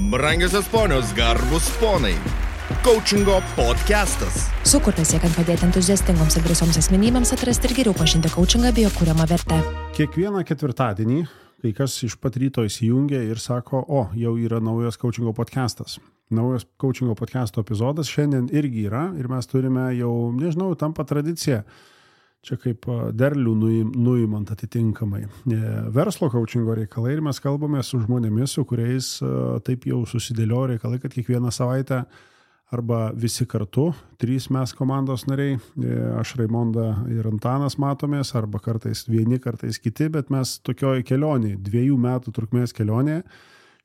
Brangiosios ponios, garbus ponai. Coachingo podcastas. Sukurtas siekiant padėti entuziastingoms ir drąsioms asmenybėms atrasti ir geriau pažinti coachingą bei jo kuriamą vertę. Kiekvieną ketvirtadienį kai kas iš pat ryto įsijungia ir sako, jau yra naujas coachingo podcastas. Naujas coachingo podcasto epizodas šiandien irgi yra ir mes turime jau, nežinau, tampa tradicija. Čia kaip derlių nuimant atitinkamai. Verslo coachingo reikalai ir mes kalbame su žmonėmis, su kuriais taip jau susidėlio reikalai, kad kiekvieną savaitę arba visi kartu, 3 mes komandos nariai, aš Raimonda ir Antanas matomės, arba kartais vieni, kartais kiti, bet mes tokioj kelionėje, 2 metų trukmės kelionėje,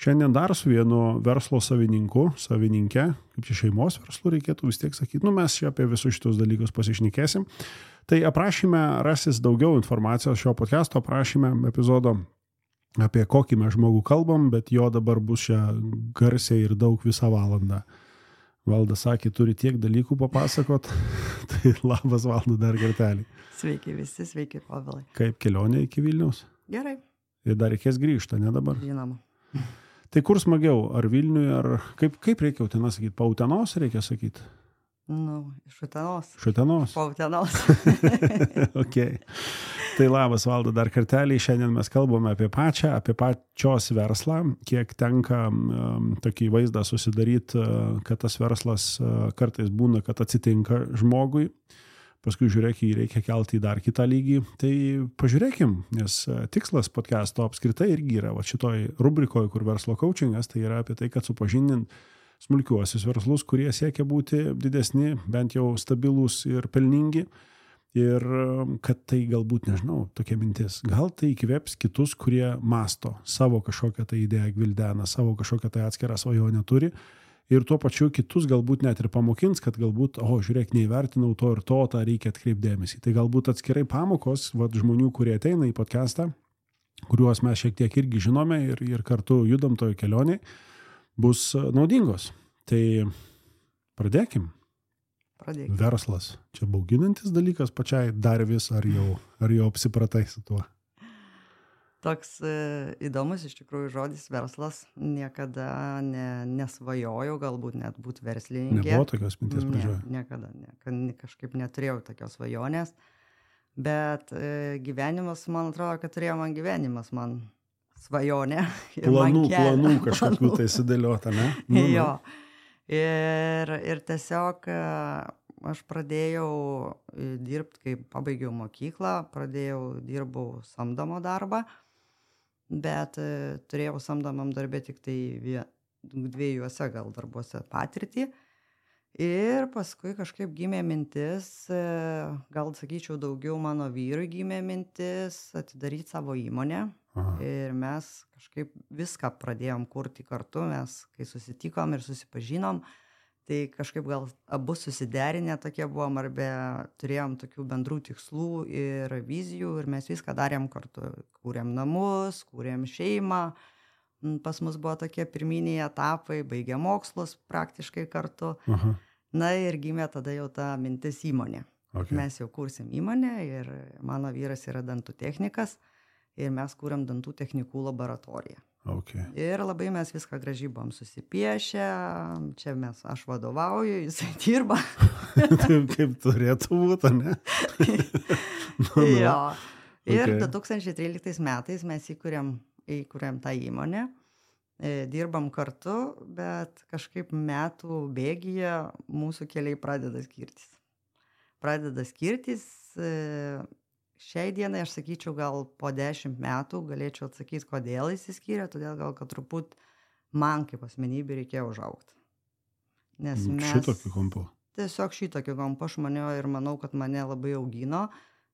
šiandien dar su vienu verslo savininke, kaip čia šeimos verslu reikėtų vis tiek sakyti, mes čia apie visus šitus dalykus pasišnekėsim. Tai aprašyme rasis daugiau informacijos šio podcasto, aprašyme epizodo apie kokį mes žmogų kalbam, bet jo dabar bus čia garsiai ir daug visą valandą. Valdas sakė, turi tiek dalykų papasakot, tai labas Valdu dar kartelį. Sveiki visi, sveiki Povilai. Kaip kelionė iki Vilniaus? Gerai. Ir dar reikės grįžti, ne dabar? Žinoma. Tai kur smagiau, ar Vilniui, ar kaip reikia Uteną sakyti? Pa Utenos reikia sakyti? Iš Utenos. Iš Utenos? Pa Utenos. Ok. Tai labas Valda dar kartelį, šiandien mes kalbame apie pačios verslą, kiek tenka tokį vaizdą susidaryti, kad tas verslas kartais būna, kad atsitinka žmogui, paskui žiūrėk, jį reikia kelti į dar kitą lygį. Tai pažiūrėkim, nes tikslas podcasto apskritai irgi yra, šitoj rubrikoje, kur verslo coachingas, tai yra apie tai, kad supažindint smulkiuosius verslus, kurie siekia būti didesni, bent jau stabilūs ir pelningi. Ir kad tai galbūt, nežinau, tokia mintis, gal tai įkvėps kitus, kurie masto, savo kažkokią tai idėją gvildena, savo kažkokią tai atskirą svajonę turi ir tuo pačiu kitus galbūt net ir pamokins, kad galbūt, žiūrėk, neįvertinau to ir to, tą reikia atkreipdėmėsi. Tai galbūt atskirai pamokos, žmonių, kurie ateina į podcastą, kuriuos mes šiek tiek irgi žinome ir kartu judam toje kelionėje, bus naudingos. Tai pradėkim. Verslas. Čia bauginantis dalykas pačiai dar vis, ar jau apsipratai su tuo? Toks įdomus iš tikrųjų žodis verslas. Niekada nesvajojau galbūt net būti verslininkė. Nebuvo tokios minties pradžioje? Niekada. Kažkaip neturėjau tokios svajonės. Bet gyvenimas, man atrodo, kad turėjo man gyvenimas, man svajonė. Planų kažkokių tai sudėliota, ne? Jo. Ir tiesiog aš pradėjau dirbti, kai pabaigiau mokyklą, dirbau samdomo darbą, bet turėjau samdomam darbė tik tai 2 gal darbuose patirtį. Ir paskui kažkaip gimė mintis, gal sakyčiau daugiau mano vyrui gimė mintis atidaryti savo įmonę. Aha. Ir mes kažkaip viską pradėjom kurti kartu, mes kai susitikom ir susipažinom, tai kažkaip gal abu susiderinę tokie buvom, arba turėjom tokių bendrų tikslų ir vizijų ir mes viską darėm kartu. Kūrėm namus, kūrėm šeimą, pas mus buvo tokie pirminiai etapai, baigė mokslus praktiškai kartu. Aha. Na ir gimė tada jau ta mintis įmonė. Okay. Mes jau kursim įmonę ir mano vyras yra dantų technikas. Ir mes kūrėm dantų technikų laboratoriją. Okay. Ir labai mes viską gražiai buvom susipiešę, čia aš vadovauju, jisai dirba. Kaip turėtų būti, ne? Jo. Ir 2013 metais mes įkūrėm tą įmonę, dirbam kartu, bet kažkaip metų bėgyje mūsų keliai pradeda skirtis. Šiai dienai aš sakyčiau, gal po 10 metų galėčiau atsakyti, kodėl išsiskyrė, todėl gal kad truput man kaip asmenybė reikėjo užaugti. Nes mes šitokiu kampu. Tiesiog šitokiu kampu aš ir manau, kad mane labai augino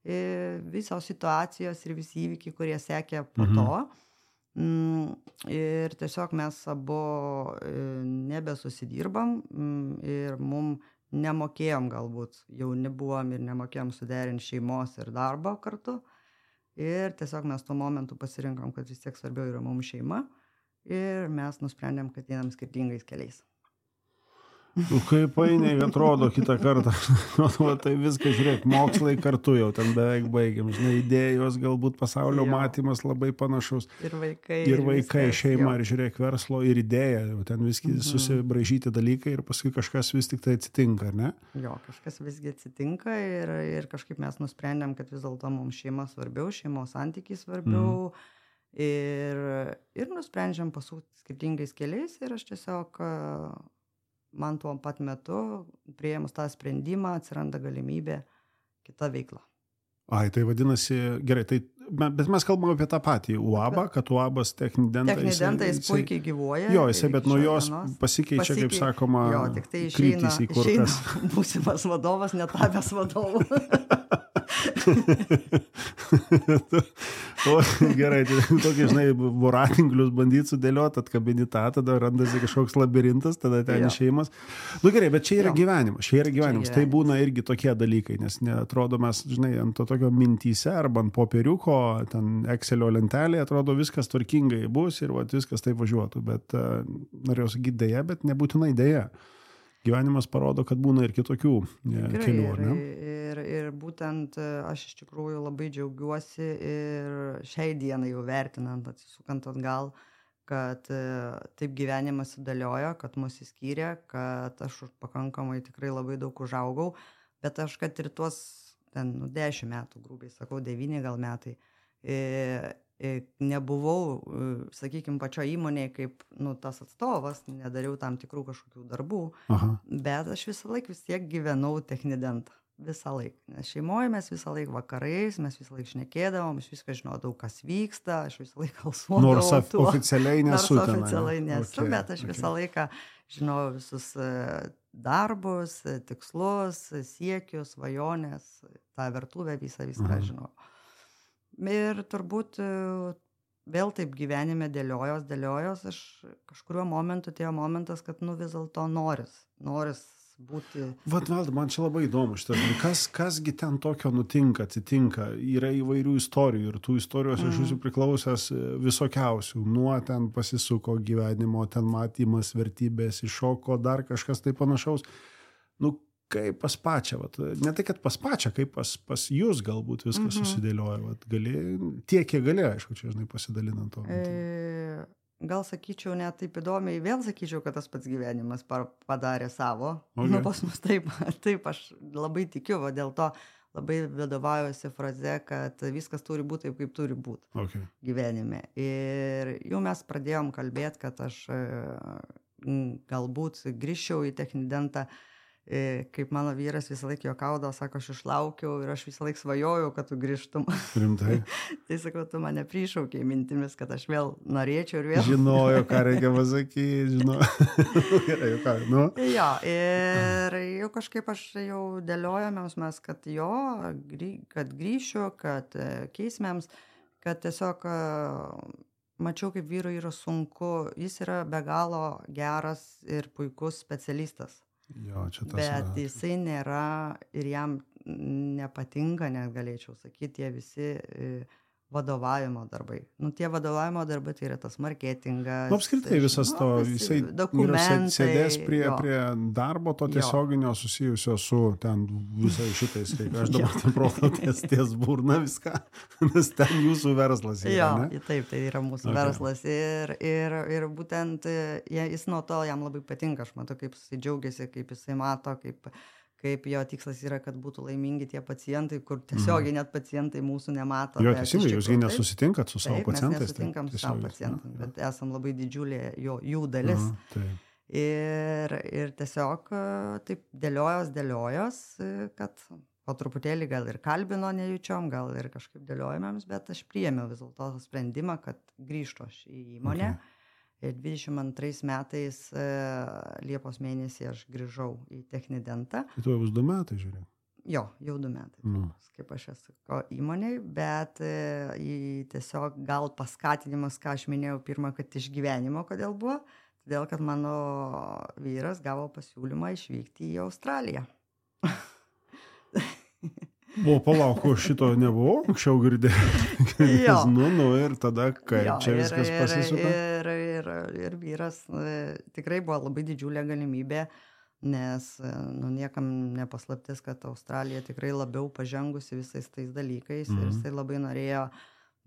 visos situacijos ir visi įvykiai, kurie sekė po to. Ir tiesiog mes abu nebesusidirbam ir mum nemokėjom galbūt, jauni buvom ir nemokėjom suderinti šeimos ir darbo kartu. Ir tiesiog mes tuo momentu pasirinkom, kad vis tiek svarbiau yra mums šeima ir mes nusprendėm, kad einam skirtingais keliais. Kaip painiai atrodo kitą kartą. Tai viską, žiūrėk, mokslai kartu jau ten beveik baigiam. Žinai, idėjos, galbūt pasaulio matymas labai panašus. Ir vaikai. Ir vaikai, šeima, ir žiūrėk, verslo, ir idėja. Ten viskai susibraižyti dalykai ir paskui kažkas vis tik tai atsitinka, ar ne? Jo, kažkas visgi atsitinka ir kažkaip mes nusprendėm, kad vis dėlto mums šeima svarbiau, šeimos santykiai svarbiau. Ir nusprendžiam pasukti skirtingais keliais ir aš tiesiog... Man tuo pat metu, priėmus tą sprendimą, atsiranda galimybė kita veikla. Ai, tai vadinasi, gerai, bet mes kalbame apie tą patį UABą, kad UABas Technidenta... Technidenta jis puikiai gyvuoja. Jo, jisai, bet nuo jos pasikeičia, kaip sakoma, jo, tik tai kryptys į kur kas. Būsimas vadovas, netapęs vadovu. Gerai, tokį, žinai, voratinklius bandyti sudėlioti, atkabini tą, tada randasi kažkoks labirintas, tada ten išėjimas. Nu gerai, bet čia yra gyvenimas, tai būna irgi tokie dalykai, nes neatrodo mes, žinai, ant to tokio mintyse arba ant popieriuko, ten Excelio lentelėje, atrodo viskas tvarkingai bus ir viskas taip važiuotų, bet norėjau sakyti dėja, bet nebūtinai dėja. Gyvenimas parodo, kad būna ir kitokių kelių, ar ne? Ir būtent aš iš tikrųjų labai džiaugiuosi ir šiai dienai jau vertinant, atsisukant atgal, kad taip gyvenimas sudėliojo, kad mus įskyrė, kad aš pakankamai tikrai labai daug užaugau, bet aš kad ir tuos 10 metų, grubiai sakau, 9 gal metai, nebuvau, sakykime, pačio įmonėje kaip tas atstovas, nedariau tam tikrų kažkokių darbų, bet aš visą laiką vis tiek gyvenau Technidentą. Visą laiką. Nes šeimoje mes visą laiką vakarais, mes visą laiką šnekėdavom, aš viską žinodavau, kas vyksta, aš visą laiką kalsuodavau. Nors oficialiai nesu ten. Nors oficialiai nesu, bet aš visą laiką žinojau visus darbus, tikslus, siekius, svajonės, tą virtuvę viską žinojau. Ir turbūt vėl taip gyvenime dėliojos, aš kažkuriuo momentu atėjo momentas, kad vis dėlto noris būti. Valda, man čia labai įdomu šitas. Kasgi ten tokio atsitinka? Yra įvairių istorijų ir tų istorijos iš jūsų priklausęs visokiausių. Nuo ten pasisuko gyvenimo, ten matymas, vertybės, iššoko, dar kažkas tai panašaus. Kaip pas pačią, ne tai, kad pas pačią, kaip pas jūs galbūt viskas susidėlioja. Tiek, kiek gali, aišku, čia žinai pasidalinant to. Gal sakyčiau, net taip įdomiai, vėl sakyčiau, kad tas pats gyvenimas padarė savo. Pas mus taip, aš labai tikiu, dėl to labai vadovaujuosi fraze, kad viskas turi būti taip, kaip turi būti gyvenime. Ir jau mes pradėjom kalbėti, kad aš galbūt grįžčiau į Technidentą, kaip mano vyras visą laiką juokaudavo, sako, aš išlaukiau ir aš visą laiką svajojau, kad tu grįžtum. Rimtai? Tai sakau, tu mane prišaukei mintimis, kad aš vėl norėčiau ir vėl. Žinojo, ką reikia pasakyti, Gerai, ką, Jo, ir jau kažkaip aš jau dėliojamėms mes, kad kad grįšiu, kad keisimėms, kad tiesiog mačiau, kaip vyrui yra sunku, jis yra be galo geras ir puikus specialistas. Jo, bet jisai nėra ir jam nepatinka, net galėčiau sakyti, tie visi vadovavimo darbai. Tie vadovavimo darbai tai yra tas marketingas. Apskritai visas to, jisai sėdės prie darbo to tiesioginio susijusio su ten visai šitais. Aš dabar ten proto ties burna viską, nes ten jūsų verslas yra, ne? Taip, tai yra mūsų verslas ir būtent jis nuo to jam labai patinka. Aš matau, kaip jisai džiaugiasi, kaip jisai mato, kaip jo tikslas yra, kad būtų laimingi tie pacientai, kur tiesiogiai net pacientai mūsų nemato. Jo, teisingai, jūs nesusitinkat su savo pacientais. Taip, mes nesutinkam su savo pacientais, bet esam labai didžiulė jų dalis. Ir tiesiog taip dėliojos, kad po truputėlį gal ir kalbino nejučiom, gal ir kažkaip dėliojamėms, bet aš priėmiau vis dėlto sprendimą, kad grįžtu aš į įmonę. Ir 22 metais Liepos mėnesį aš grįžau į Technidentą. Tai tu jau 2 metai, žiūrėjau? Jo, jau 2 metai, kaip aš esu įmonėj, bet tiesiog gal paskatinimas, ką aš minėjau pirmą, kad iš gyvenimo, kodėl buvo, todėl, kad mano vyras gavo pasiūlymą išvykti į Australiją. Palauk, šito nebuvo, anksčiau girdėjau. Ir tada kaip čia viskas pasisuko? Ir vyras tikrai buvo labai didžiulė galimybė nes niekam nepaslaptis, kad Australija tikrai labiau pažengusi visais tais dalykais ir jisai labai norėjo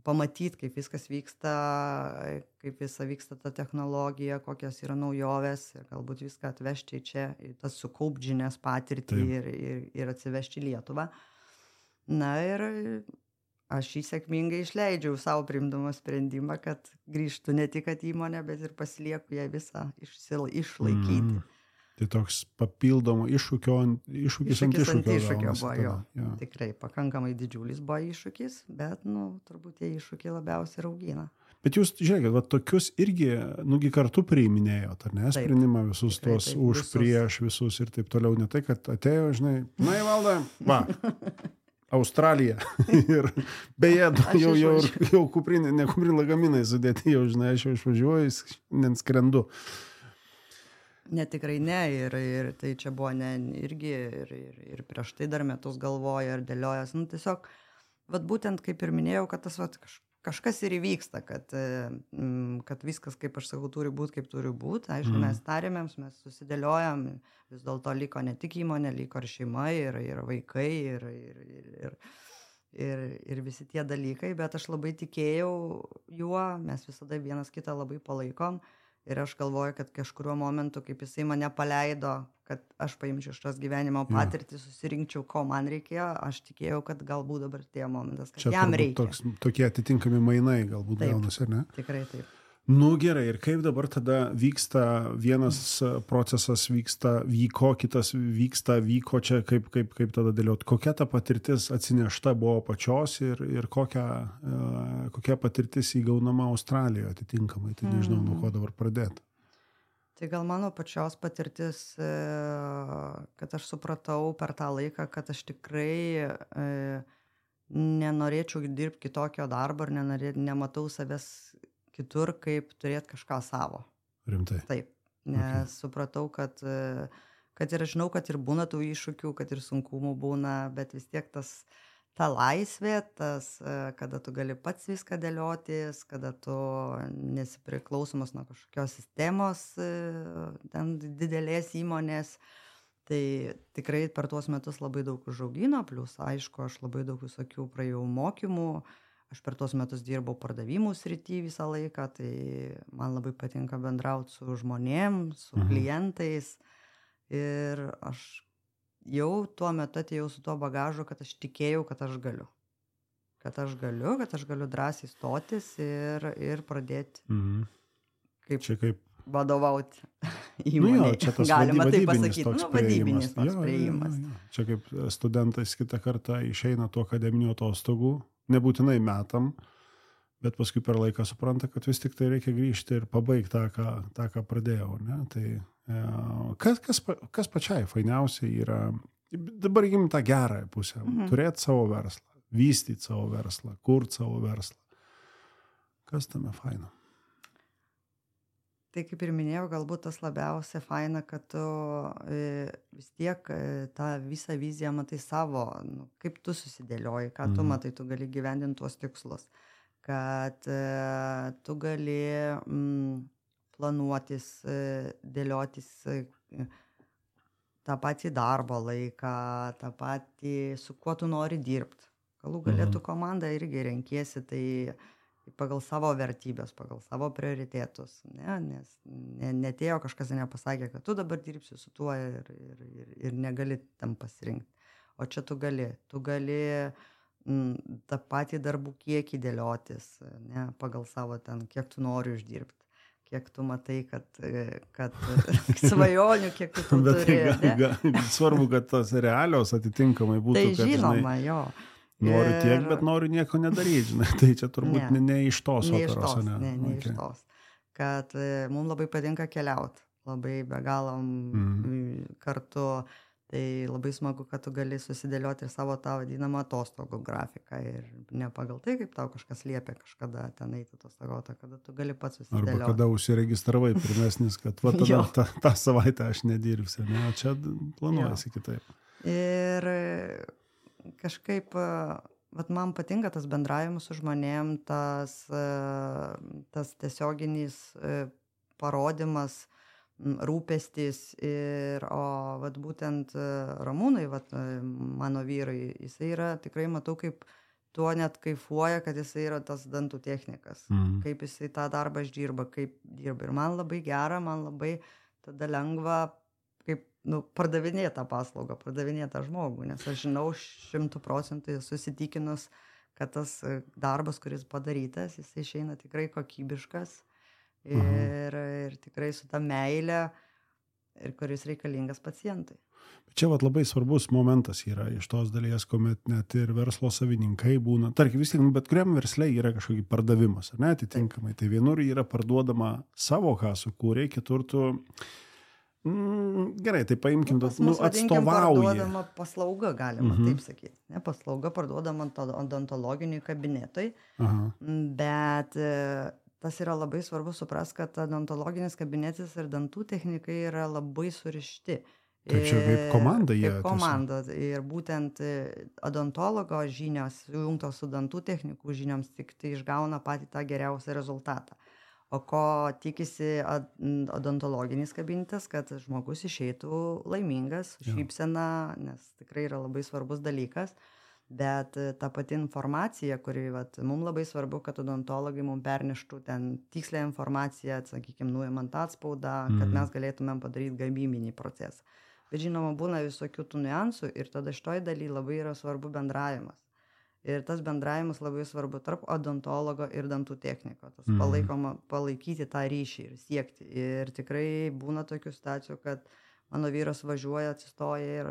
pamatyti, kaip viskas vyksta, kaip visa vyksta ta technologija, kokios yra naujovės ir galbūt viską atvežti čia, tas sukaupti žinias patirtį ir atsivežti į Lietuvą. Na ir aš jį sėkmingai išleidžiau savo priimdama sprendimą, kad grįžtų ne tik įmonę, bet ir pasilieku ją visą išlaikyti. Tai toks papildomo iššūkis ant iššūkio buvo jo. Tikrai pakankamai didžiulis buvo iššūkis, bet turbūt tie iššūkiai labiausiai ir augina. Bet jūs, žiūrėkit, va, tokius irgi, kartu priiminėjot, ar ne, sprendimą visus tos už, prieš visus ir taip toliau, ne tai, kad atėjo, žinai, na į valdą, va, Australija. Ir beje, jau kuprinė lagaminai sudėti, jau, žinai, aš jau išvažiuoju, neskrendu. Ne, tikrai ne, ir tai čia buvo ne irgi, ir prieš tai dar metus galvoja ir dėliojas. Tiesiog, vat būtent kaip ir minėjau, kad tas kažkas ir įvyksta, kad viskas, kaip aš sakau, turi būti, kaip turi būti. Aišku, mes tarėmėms, mes susidėliojam, vis dėlto liko ne tik įmonė, liko ir šeima, ir vaikai, ir visi tie dalykai, bet aš labai tikėjau juo, mes visada vienas kitą labai palaikom. Ir aš galvoju, kad kažkuriuo momentu, kaip jisai mane paleido, kad aš paimčiau šios gyvenimo patirtį, susirinkčiau, ko man reikėjo, aš tikėjau, kad galbūt dabar tie momentas, kad čia jam reikia. Tokie atitinkami mainai galbūt gaunasi, ar ne? Tikrai taip. Gerai, ir kaip dabar tada vyksta, vienas procesas vyko, kitas vyko čia, kaip tada dėliot, kokia ta patirtis atsinešta buvo pačios ir kokia patirtis įgaunama Australijoje atitinkamai, tai nežinau, nuo ko dabar pradėti. Tai gal mano pačios patirtis, kad aš supratau per tą laiką, kad aš tikrai nenorėčiau dirbti kitokio darbo ir nematau savęs kitur, kaip turėti kažką savo. Rimtai? Taip, nes supratau, kad ir žinau, kad ir būna tų iššūkių, kad ir sunkumų būna, bet vis tiek ta laisvė, kada tu gali pats viską dėliotis, kada tu nesipriklausomas nuo kažkokios sistemos, ten didelės įmonės, tai tikrai per tuos metus labai daug užaugino, plus aišku, aš labai daug visokių praėjau mokymų. Aš per tuos metus dirbau pardavimų srity visą laiką, tai man labai patinka bendrauti su žmonėm, su klientais. Ir aš jau tuo metu atėjau su tuo bagažu, kad aš tikėjau, kad aš galiu. Kad aš galiu drąsiai stotis ir pradėti kaip vadovauti įmonei. Galima taip pasakyti, vadybinis toks priėjimas. Čia kaip studentais kitą kartą išeina tų akademinių atostogų, nebūtinai metam, bet paskui per laiką supranta, kad vis tik tai reikia grįžti ir pabaigti tą, ką pradėjau. Ne? Tai kas pačiai fainiausiai yra, dabar įgim tą gerąją pusę, turėti savo verslą, vystyti savo verslą, kurti savo verslą. Kas tame faina? Tai kaip ir minėjau, galbūt tas labiausia faina, kad tu vis tiek tą visą viziją matai savo, kaip tu susidėlioji, ką tu matai, tu gali gyvendinti tuos tikslus, kad tu gali planuotis, dėliotis tą patį darbo laiką, tą patį, su kuo tu nori dirbti. Galų galėtų komandą irgi renkiesi, tai pagal savo vertybės, pagal savo prioritetus, nes netėjo kažkas nepasakė, kad tu dabar dirbsi su tuo ir negali tam pasirinkti. O čia tu gali tą patį darbų kiekį dėliotis, pagal savo ten, kiek tu nori uždirbti, kiek tu matai, kad svajonių, kiek tu turi. Svarbu, kad tos realios atitinkamai būtų. Tai žinoma, jo. Noriu tiek, bet noriu nieko nedaryti, žinai. Tai čia turbūt ne iš tos operos. Ne iš tos. Kad mums labai patinka keliauti. Labai be galo kartu. Tai labai smagu, kad tu gali susidėlioti ir savo tą vadinamą atostogų grafiką. Ir ne pagal tai, kaip tau kažkas liepia kažkada ten eiti atostogauti, kada tu gali pats susidėlioti. Arba kada užsiregistravai pirmesnis, kad va tada tą savaitę aš nedirbsiu. Ne? O čia planuojasi kitaip. Ir kažkaip, man patinka tas bendravimas su žmonėm, tas tiesioginis parodimas, rūpestis. O vat būtent Ramūnai, vat, mano vyrai, jisai yra, tikrai matau, kaip tuo net kaifuoja, kad jisai yra tas dantų technikas. Kaip jisai tą darbą išdirba, kaip dirba. Ir man labai gera, man labai tada lengva, kaip pardavinėti tą paslaugą, pardavinėti tą žmogų. Nes aš žinau 100% susitikinus, kad tas darbas, kuris padarytas, jisai išeina tikrai kokybiškas ir tikrai su ta meile, ir kuris reikalingas pacientai. Čia vat labai svarbus momentas yra iš tos dalies, kuomet net ir verslo savininkai būna. Tarkim, vis tiek, bet kuriam versle yra kažkokį pardavimas, ar ne, atitinkamai. Tai vienur yra parduodama savo, ką sukūrė, kitur tu, gerai, tai paimkim, atstovauji. Parduodama paslauga, galima taip sakyti. Ne, paslauga parduodama odontologiniai kabinetai, bet tas yra labai svarbu supras, kad odontologinis kabinetas ir dantų technikai yra labai surišti. Taip čia kaip komanda jie. Kaip komanda. Ir būtent odontologo žinios, sujungtos su dantų technikų žinioms, tik tai išgauna patį tą geriausią rezultatą. O ko tikisi odontologinis kabinetas, kad žmogus išeitų laimingas, šypsena, nes tikrai yra labai svarbus dalykas. Bet ta pati informacija, kuri mums labai svarbu, kad odontologai mums perneštų ten tikslę informaciją, sakykime, nuimant atspaudą, kad mes galėtumėm padaryti gamybinį procesą. Bet žinoma, būna visokių tų niuansų ir tada šitoj daly labai yra svarbu bendravimas. Ir tas bendravimas labai svarbu tarp odontologo ir dantų techniko. Tas palaikyti tą ryšį ir siekti. Ir tikrai būna tokių situacijų, kad mano vyras važiuoja, atsistoja ir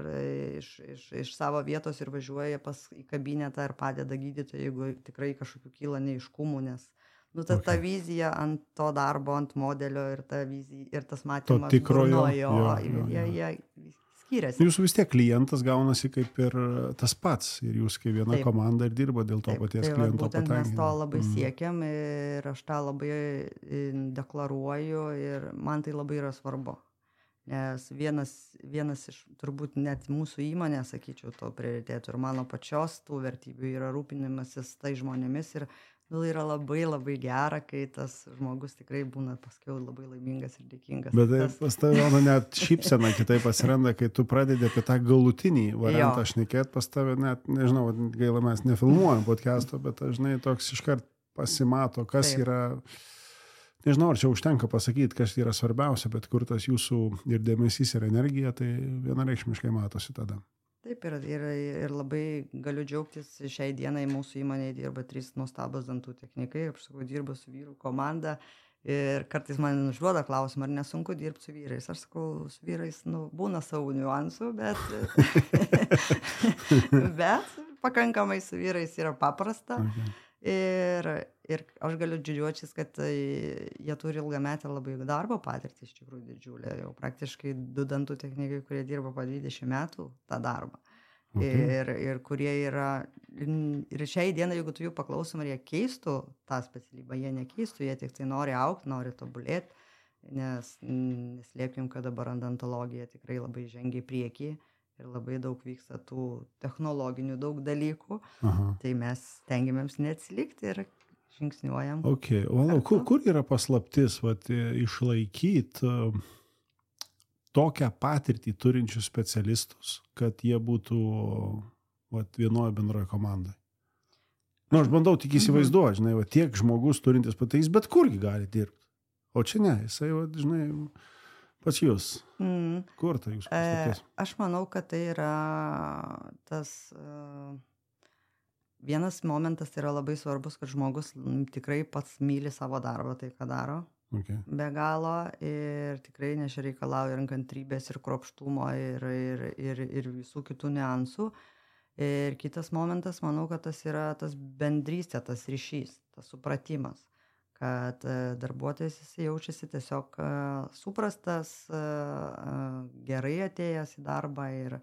iš savo vietos ir važiuoja į kabinetą ir padeda gydytojui, jeigu tikrai kažkokių kyla neiškumų, nes ta vizija ant to darbo, ant modelio ir ta vizija, ir tas matymas jie skiriasi. Jūsų vis tiek klientas gaunasi kaip ir tas pats ir jūs kaip viena komanda ir dirba dėl to paties kliento patenkinimo. Mes to labai siekiam ir aš tą labai deklaruoju ir man tai labai yra svarbu. Nes vienas iš turbūt net mūsų įmonė, sakyčiau, to prioritėtų ir mano pačios tų vertybių yra rūpinimasis tai žmonėmis ir yra labai labai gera, kai tas žmogus tikrai būna paskiau labai laimingas ir dėkingas. Bet pas tave net šypsena kitaip pasiranda, kai tu pradedi apie tą galutinį variantą šnekėt, pas tave net, nežinau, gaila mes nefilmuojam podcast'o, bet žinai, toks iškart pasimato, kas yra, nežinau, ar čia užtenka pasakyti, kas yra svarbiausia, bet kur tas jūsų ir dėmesys ir energija, tai vienareikšmiškai matosi tada. Taip, ir labai galiu džiaugtis, šiai dienai mūsų įmonėje dirba 3 nuostabus dantų technikai, aš sakau, dirbu su vyrų komanda ir kartais man užduoda klausimą, ar nesunku dirbti su vyrais. Aš sakau, su vyrais, būna savo niuansų, bet pakankamai su vyrais yra paprasta. Ir aš galiu didžiuotis, kad jie turi ilgametę labai darbo patirtį, iš tikrųjų didžiulę, jau praktiškai 2 dantų technikai, kurie dirba po 20 metų tą darbą. Ir kurie yra, ir šiai dieną, jeigu tu jų paklausom, ar jie keistų tą specialybę, jie nekeistų, jie tik tai nori augti, nori tobulėti, nes neslėpkim, kad dabar odontologija tikrai labai žengia į priekį. Ir labai daug vyksta tų technologinių daug dalykų, tai mes stengiamėms neatsilikti ir žingsniuojam. Kur yra paslaptis išlaikyti tokią patirtį turinčius specialistus, kad jie būtų vienoje bendroje komandai? Aš bandau tik įsivaizduoti, žinai, tiek žmogus turintis patirtis, bet kurgi gali dirbti. O čia ne, jisai, žinai, pas jūs. Kur tai jūs paslaptis? Aš manau, kad tai yra tas vienas momentas yra labai svarbus, kad žmogus tikrai pats myli savo darbą, tai ką daro. Be galo ir tikrai reikalauja ir kantrybės, ir kruopštumo, ir visų kitų niuansų. Ir kitas momentas, manau, kad tas yra tas bendrystė, tas ryšys, tas supratimas. Kad darbuotojas jis jaučiasi tiesiog suprastas, gerai atėjęs į darbą ir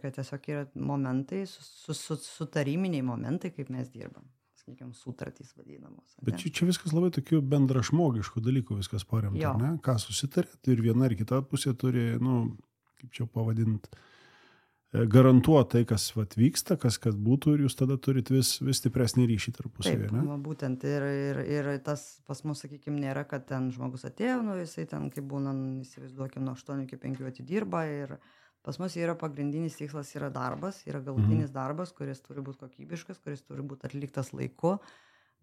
kad tiesiog yra momentai, sutariminiai momentai, kaip mes dirbam. Sakykime, sutartys vadinamos. Bet čia viskas labai tokių bendražmogiškų dalykų viskas paremta, ne? Ką susitarėt ir viena ir kita pusė turi, kaip čia pavadinti, garantuoti tai, kas vyksta, kas būtų ir jūs tada turit vis stipresnį ryšį tarpusavį, ne? Taip, būtent ir tas pas mus, sakykime, nėra, kad ten žmogus atėjo, jisai ten, kaip būna, įsivaizduokime, nuo 8 iki 5 atidirba ir pas mus yra pagrindinis tikslas yra darbas, yra galutinis darbas, kuris turi būti kokybiškas, kuris turi būti atliktas laiku,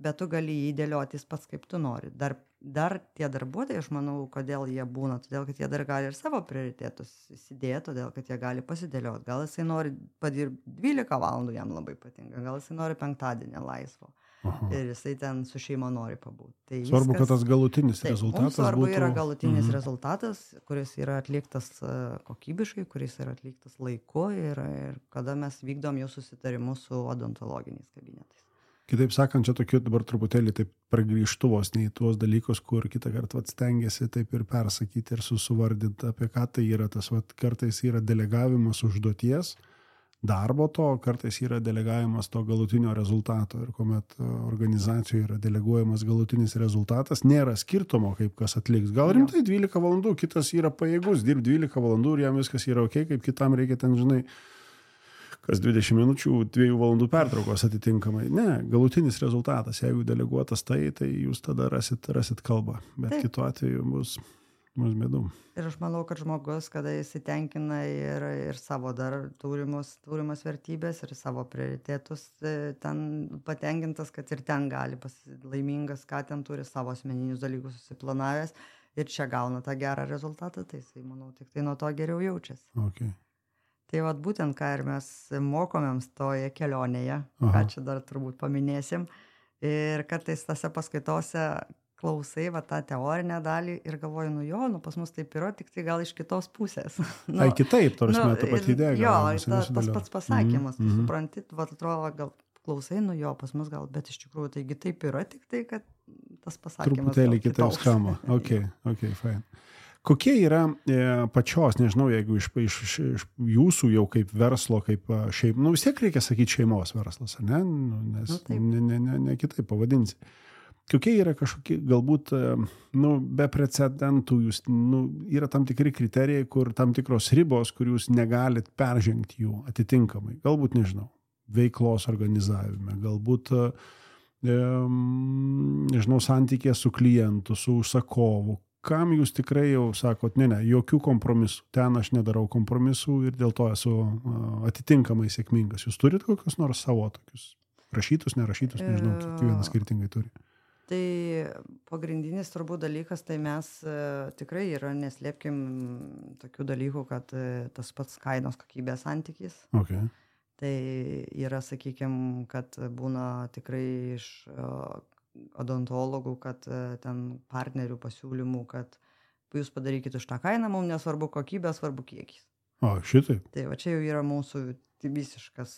bet tu gali jį dėliotis pats, kaip tu nori. Dar tie darbuotojai, aš manau, kodėl jie būna, todėl, kad jie dar gali ir savo prioritetus įsidėti, todėl, kad jie gali pasidėlioti. Gal jisai nori padirbti 12 valandų, jam labai patinka, gal jisai nori penktadienį laisvo. Aha. Ir jisai ten su šeima nori pabūti. Tai svarbu, kad tas galutinis rezultatas būtų. Svarbu yra galutinis rezultatas, kuris yra atliktas kokybiškai, kuris yra atliktas laiku ir kada mes vykdom jau susitarimus su odontologiniais kabinetais. Kitaip sakant, čia tokiu dabar truputėlį taip pragrįžtuvos nei tuos dalykus, kur kitą kartą stengiasi taip ir persakyti ir susuvardinti, apie ką tai yra. Tas kartais yra delegavimas užduoties, darbo to, kartais yra delegavimas to galutinio rezultato. Ir kuomet organizacijoje yra deleguojamas galutinis rezultatas, nėra skirtumo, kaip kas atliks. Gal rimtai 12 valandų, kitas yra pajėgus dirbti 12 valandų ir jam viskas yra ok, kaip kitam reikia ten, žinai, kas 20 minučių, 2 valandų pertraukos atitinkamai. Ne, galutinis rezultatas, jeigu deleguotas tai jūs tada rasit kalbą, bet taip. Kitu atveju bus bėdų. Ir aš manau, kad žmogus, kada jis tenkina ir savo dar turimas vertybės ir savo prioritetus, ten patenkintas, kad ir ten gali laimingas, ką ten turi savo asmeninius dalykus susiplanavęs ir čia gauna tą gerą rezultatą, tai jisai, manau, tik tai nuo to geriau jaučiasi. Okay. Tai būtent, ką ir mes mokomėms toje kelionėje, ką čia dar turbūt paminėsim. Ir kartais tose paskaitose klausai tą teorinę dalį ir galvoju, pas mus taip yra, tik tai gal iš kitos pusės. Ai, kitaip, tarsi ta pati idėja. Jo, tas pats pasakymas, tu supranti, atrodo, gal klausai, pas mus gal, bet iš tikrųjų taigi taip yra, tik tai, kad tas pasakymas truputėlį kitaip skamba. Ok, fine. Kokie yra pačios, nežinau, jeigu iš jūsų jau kaip verslo, kaip šiaip, vis tiek reikia sakyti šeimos verslas, ne? Nes ne kitaip pavadinsi. Kokie yra kažkokie, galbūt, be precedentų, yra tam tikri kriterijai, kur tam tikros ribos, kur jūs negalit peržengti jų atitinkamai. Galbūt, nežinau, veiklos organizavime, galbūt, nežinau, santykė su klientu, su užsakovu. Kam jūs tikrai jau sakot, ne, jokių kompromisų, ten aš nedarau kompromisų ir dėl to esu atitinkamai sėkmingas. Jūs turit kokius nors savo tokius rašytus, nerašytus, nežinau, kiekvienas skirtingai turi. Tai pagrindinis turbūt dalykas, tai mes tikrai yra, neslėpkim tokių dalykų, kad tas pats kainos kokybės santykis. Okay. Tai yra, sakykime, kad būna tikrai iš odontologų, kad ten partnerių pasiūlymų, kad jūs padarykite už tą kainą, mums nesvarbu kokybė, svarbu kiekis. O, šitaip. Tai čia jau yra mūsų visiškas,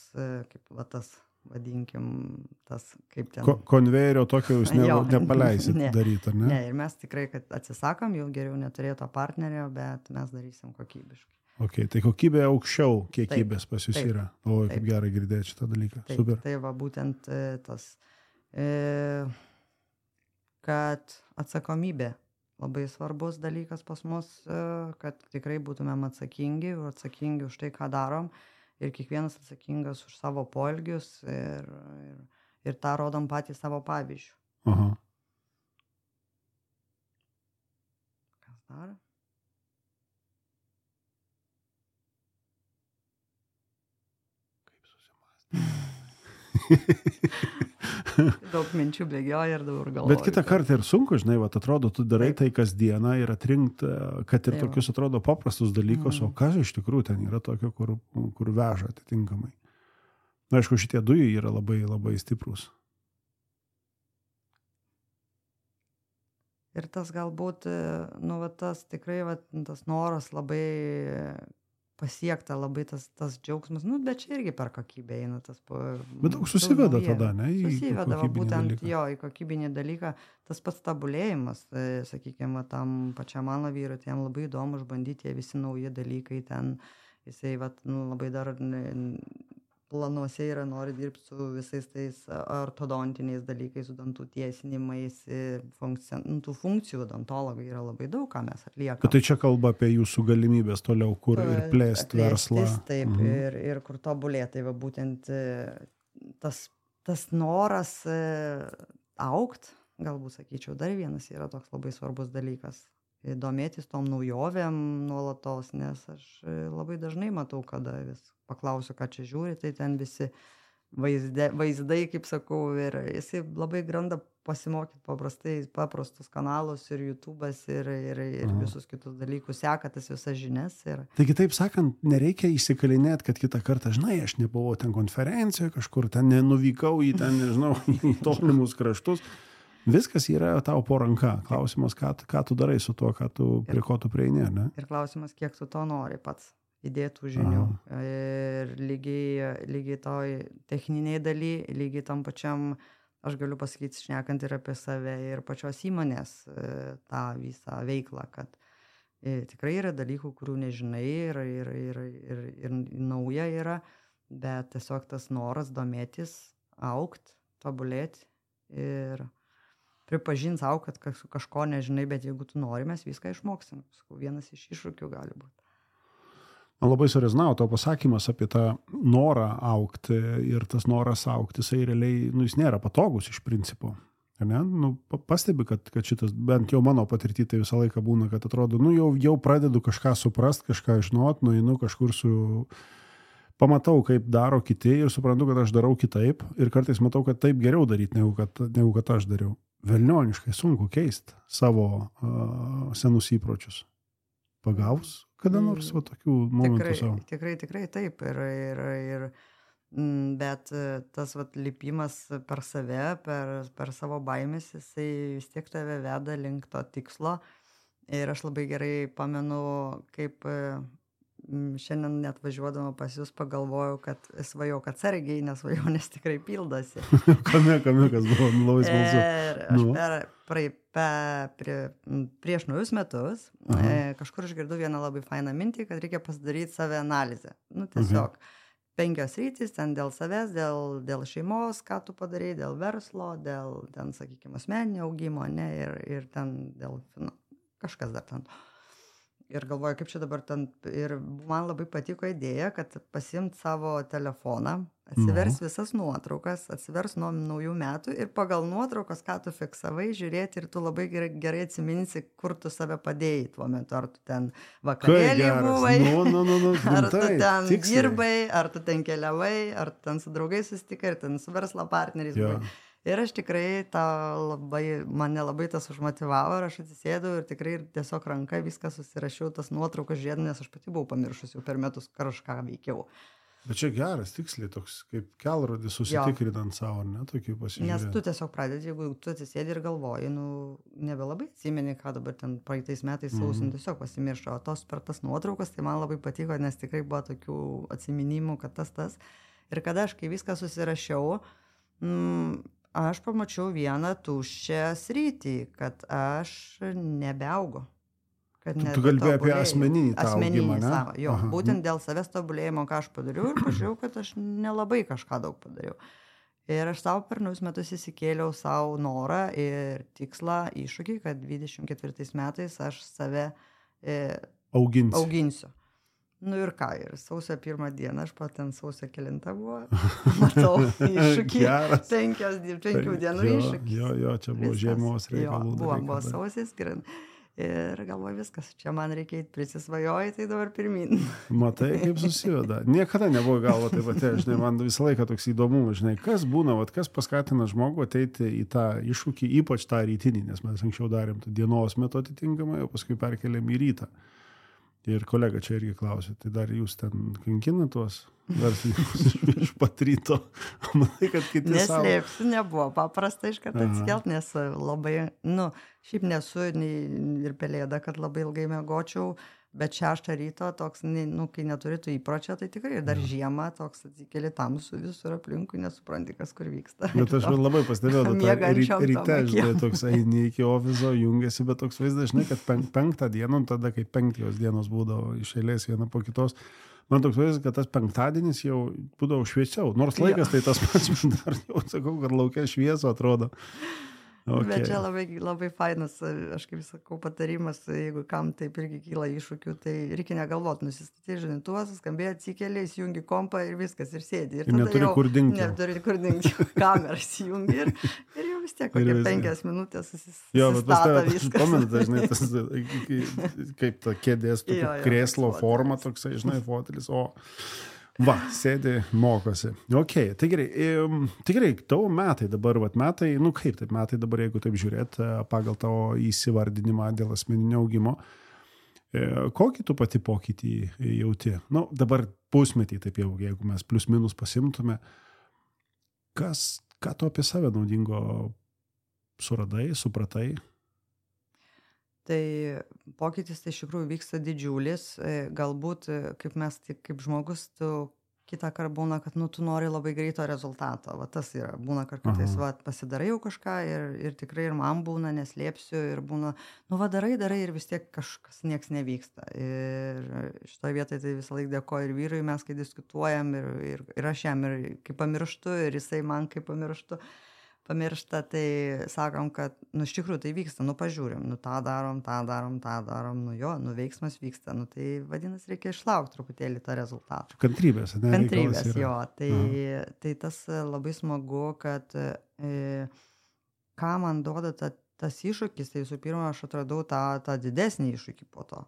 kaip tas, vadinkim, tas, kaip ten. Konvejerio tokio jūs nepaleisit daryti, ar ne? Ne, ir mes tikrai, kad atsisakam, jau geriau neturėto partnerio, bet mes darysim kokybiškai. Ok, tai kokybė aukščiau kiekybės pas jūs yra. O, kaip gerai girdėti šitą dalyką. Taip, super. Tai būtent tas kad atsakomybė labai svarbus dalykas pas mus, kad tikrai būtumėm atsakingi už tai, ką darom ir kiekvienas atsakingas už savo poelgius ir tą rodom patys savo pavyzdžių. Aha. Kas dar? Kaip susimąstyti? Daug minčių bėgioja ir daug galvoju. Bet kitą kartą ir sunku, žinai, atrodo, tu darai tai kasdieną ir atrinkt, kad ir tokius atrodo paprastus dalykus, o kas iš tikrųjų ten yra tokio, kur veža atitinkamai. Na, aišku, šitie dujai yra labai, labai stiprus. Ir tas galbūt, tas tikrai, tas noras labai pasiekta, labai tas džiaugsmas, bet čia irgi per kokybę eina tas. Bet daug susiveda tada, ne? Susiveda, būtent dalyką. Jo, į kokybinį dalyką, tas pats tabulėjimas, sakykime, tam pačiam mano vyrui, tai jam labai įdomu išbandyti visi nauji dalykai ten, jisai labai dar planuose yra nori dirbti su visais tais ortodontiniais dalykais, su dantų tiesinimais, tų funkcijų odontologai yra labai daug, ką mes atliekame. Tai čia kalba apie jūsų galimybės toliau, kur ir plėsti verslą. Taip, ir kur tobulėti. Tai va būtent tas noras augt, galbūt sakyčiau, dar vienas yra toks labai svarbus dalykas. Domėtis tom naujovėm nuolatos, nes aš labai dažnai matau, kada vis paklausiu, ką čia žiūri, tai ten visi vaizdai, kaip sakau, ir jisai labai granda pasimokyti paprastus kanalus ir YouTube'as ir visus kitus dalykus, seka tas visas žinias. Taigi, taip sakant, nereikia įsikalinėti, kad kitą kartą, žinai, aš nebuvau ten konferencijoje, kažkur ten nenuvykau į ten, nežinau, į tolimus kraštus. Viskas yra tau po ranka. Klausimas, ką tu darai su tuo, prie ko tu prieini, ne? Ir klausimas, kiek tu to nori pats įdėtų žinių. Ir lygiai toj techniniai daly, lygiai tam pačiam, aš galiu pasakyti, šnekant ir apie save, ir pačios įmonės tą visą veiklą, kad tikrai yra dalykų, kurių nežinai ir nauja yra, bet tiesiog tas noras domėtis, augt, tobulėti ir pripažint savo, kad kažko nežinai, bet jeigu tu nori, mes viską išmoksim. Vienas iš iššūkių gali būti. Man labai surezonavo to pasakymas apie tą norą augti ir tas noras augti, jisai realiai, jis nėra patogus iš principo. Ne? Pastebi, kad šitas, bent jau mano patirtį, tai visą laiką būna, kad atrodo, jau pradedu kažką suprast, kažką žinot, nueinu kažkur pamatau, kaip daro kiti ir suprantu, kad aš darau kitaip ir kartais matau, kad taip geriau daryti, negu kad aš dariau. Velnioniškai sunku keisti savo senus įpročius. Pagaus kada nors va tokių momentų savo? Tikrai taip. Bet tas lipimas per save, per savo baimės, jisai vis tiek tave veda link to tikslo. Ir aš labai gerai pamenu, kaip šiandien net važiuodama pas jūs pagalvojau, kad svajau, kad atsargiai, nes svajonės tikrai pildosi. Kame, kas buvo labai smalsu. Ir prieš naujus metus kažkur išgirdau vieną labai fainą mintį, kad reikia pasidaryti save analizę. Tiesiog 5 sritys, ten dėl savęs, dėl šeimos, ką tu padarai, dėl verslo, dėl ten, sakykime, asmeninio augimo, ne, ir ten dėl kažkas dar ten. Ir galvoju, kaip čia dabar ten, ir man labai patiko idėja, kad pasiimt savo telefoną, atsivers visas nuotraukas, atsivers nuo naujų metų ir pagal nuotraukas, ką tu fiksavai, žiūrėti ir tu labai gerai atsiminsi, kur tu save padėjai tuo metu, ar tu ten vakarėlį buvai, ar tu ten dirbai, ar tu ten keliavai, ar tu ten su draugais susitikai, ar ten su verslo partneriais buvai. Ir aš tikrai mane labai tas užmotivavo ir aš atsisėdau ir tikrai tiesiog ranka viską susirašiau, tas nuotraukas žiūrėdama, nes aš pati buvau pamiršus jau per metus kažką veikiau. Bet čia geras, tiksliai toks, kaip kelrodis susitikrinant savo, ne, tokį pasižiūrėti. Nes tu tiesiog pradedi, jeigu tu atsisėdi ir galvoji, nebelabai atsimeni, ką dabar ten praeitais metais sausim, tiesiog pasimiršo, o per tas nuotraukas, tai man labai patiko, nes tikrai buvo tokių atsiminimų, kad tas. Ir kada aš kai viską susirašiau, aš pamačiau vieną tuščią sritį, kad aš nebeaugu. Tu kalbėjai apie asmeninį augimą, ne? Jo, būtent dėl savęs tobulėjimo, ką aš padariau ir pažiūrėjau, kad aš nelabai kažką daug padariau. Ir aš savo per naujus metus įsikėliau savo norą ir tikslą, iššūkį, kad 24 metais aš save auginsiu. Ir ką, ir sausio 1 dieną, aš pat ten sausio 9 buvo, matau iššūkį, 5 dienų iššūkį. Jo, čia buvo žiemos reikalų. Buvo sausis, ir galvoju viskas, čia man reikia prisisvajoji, tai dabar pirmin. Matai, kaip susiveda. Niekada nebuvo galvo taip pat, žinai, man visą laiką toks įdomumas, žinai, kas būna, kas paskatina žmogų ateiti į tą iššūkį, ypač tą rytinį, nes mes anksčiau darėm dienos metu atitinkamai, o paskui perkeliam į rytą. Ir kolega čia irgi klausė, tai dar jūs ten kankinat tuos verslininkus iš pat ryto? Manai, kad kiti neslėpsiu, nebuvo paprasta iškart atsikelt, nes labai, šiaip nesu ir pelėda, kad labai ilgai miegočiau, bet 6 ryto toks, kai neturi tų įpročio, tai tikrai ir dar žiemą toks atsikeli tamsu visur aplinkui, nesupranti, kas kur vyksta. Bet aš labai pastebėjau, ryte, žinai, toks eini iki ofiso, jungiasi, bet toks vaizdas, žinai, kad 5 dieną, tada kai 5 dienos būdavo iš eilės viena po kitos, Man toks vaizdas, kad tas penktadienis jau būdavo šviesiau. Nors laikas tai tas pats, dar jau sakau, kad laukia švieso atrodo. Okay. Bet čia labai fainas, aš kaip sakau, patarimas, jeigu kam taip irgi kyla iššūkių, tai reikia negalvoti, nusistatyti žinintuvas, skambėjo, atsikeli, įsijungi kompą ir viskas, ir sėdi. Ir neturi kur dingti. Neturi kur dingti, kamerą įsijungi ir jau vis tiek kokie 5 minutės susistata viskas. Pamenate, žinai, tas, kaip ta kėdės, krėslo forma toksai, žinai, fotelis, va, sėdi, mokosi. Ok, tai gerai, tavo metai dabar, metai, kaip taip metai dabar, jeigu taip žiūrėt, pagal tavo įsivardinimą dėl asmeninio augimo, kokį tu pati pokytį jauti? Dabar pusmetį, taip jau, jeigu mes plius minus pasimtume, ką tu apie save naudingo suradai, supratai? Tai pokytis tai iš tikrųjų vyksta didžiulis, galbūt kaip žmogus, tu kitą kartą būna, kad tu nori labai greito rezultato, tas yra, būna kartais, pasidarai jau kažką ir tikrai ir man būna, neslėpsiu ir būna, darai ir vis tiek kažkas nieks nevyksta. Ir šitoje vietoje tai visą laiką dėkoju ir vyrui, mes kai diskutuojam ir aš jam ir kaip pamirštu ir jisai man kaip pamiršta, tai sakom, kad, iš tikrųjų tai vyksta, pažiūrim, tą darom, veiksmas vyksta, tai vadinasi, reikia išlaukti truputėlį tą rezultatą. Kantrybės, ne? Kantrybės, jo, tai tas labai smagu, kad ką man duoda tas iššūkis, tai visų pirma, aš atradau tą didesnį iššūkį po to.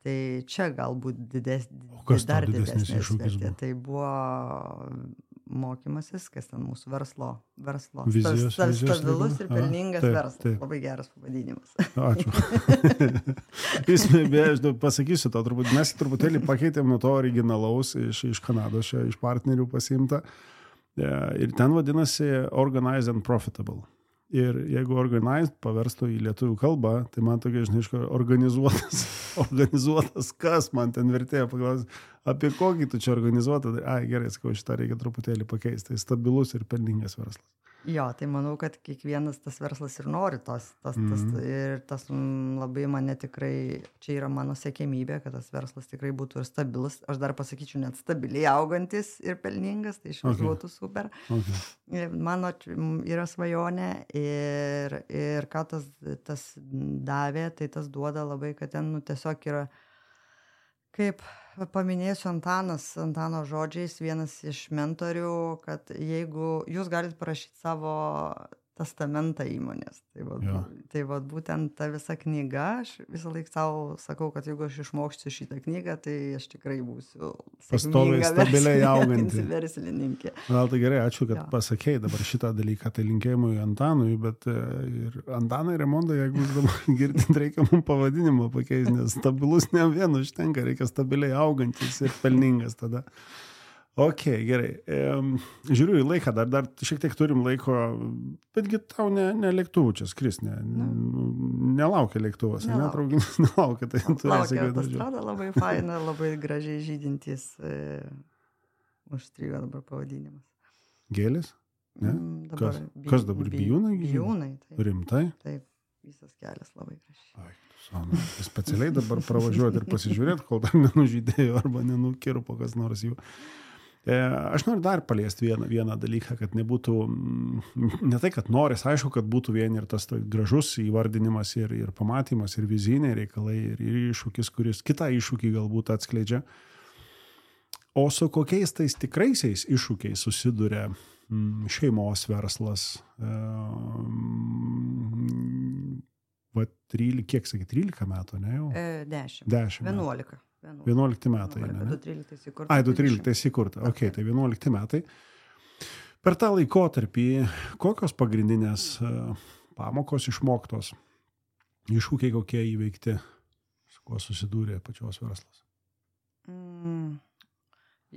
Tai čia galbūt dar didesnis iššūkis buvo. Tai buvo mokymasis, kas ten mūsų verslo stabilus ir pelningas verslas. Labai geras pavadinimas. Ačiū. Aš pasakysiu to, mes truputėlį pakeitėm nuo to originalaus iš Kanados, iš partnerių pasiimta. Ir ten vadinasi Organized and Profitable. Ir jeigu organized paverstų į lietuvių kalbą, tai man tokia, organizuotas, kas man ten vertėjo paklausyti, apie kokį tu čia organizuotą, gerai, sakau, šitą reikia truputėlį pakeisti, tai stabilus ir pelningas verslas. Jo, tai manau, kad kiekvienas tas verslas ir nori ir tas labai mane tikrai, čia yra mano siekėmybė, kad tas verslas tikrai būtų ir stabilus, aš dar pasakyčiau net stabiliai augantis ir pelningas, tai iš viso būtų super. Mano yra svajonė ir ką tas davė, tai tas duoda labai, kad ten tiesiog yra, kaip paminėsiu Antano žodžiais, vienas iš mentorių, kad jeigu jūs galite parašyti savo testamentą įmonės, tai būtent ta visa knyga, aš visą laiką savo sakau, kad jeigu aš išmokščiau šitą knygą, tai aš tikrai būsiu pastoviai stabiliai auganti verslininkė. Gal tai gerai, ačiū, kad pasakėjai dabar šitą dalyką, tai linkėjimui Antanui, bet ir Antanai Raimonda, jeigu jūs dabar girdint, reikia mums pavadinimą pakeisti, nes stabilus ne vienu užtenka, reikia stabiliai augantis ir pelningas tada. Ok, gerai. Žiūriu į laiką, dar šiek tiek turim laiko, betgi tau ne lėktuvų čia skris, nelaukia lėktuvas, traukinys nelaukia. Tai laukia autostrada, labai faina, labai gražiai žydintys, užstrigo dabar pavadinimas. Gėlės? Ne? Kas dabar, bijūnai? Bijūnai, taip. Rimtai? Taip, visas kelias labai gražiai. Specialiai dabar pravažiuoti ir pasižiūrėti, kol dar nenužydėjo arba nenukirpo kas nors jų. Aš noriu dar paliesti vieną dalyką, kad nebūtų, ne tai, kad noris, aišku, kad būtų vien ir tas gražus įvardinimas ir pamatymas, ir viziniai reikalai, ir iššūkis, kuris kitą iššūkį galbūt atskleidžia. O su kokiais tais tikraisiais iššūkiais susiduria šeimos verslas, kiek sakė, 13 metų, ne jau? 10. 11 metai. 2013 įkurta. 2013 įkurta. Ok, tai 11 metai. Per tą laikotarpį kokios pagrindinės pamokos išmoktos, iššūkiai kokie įveikti, su kuo susidūrė pačios verslas?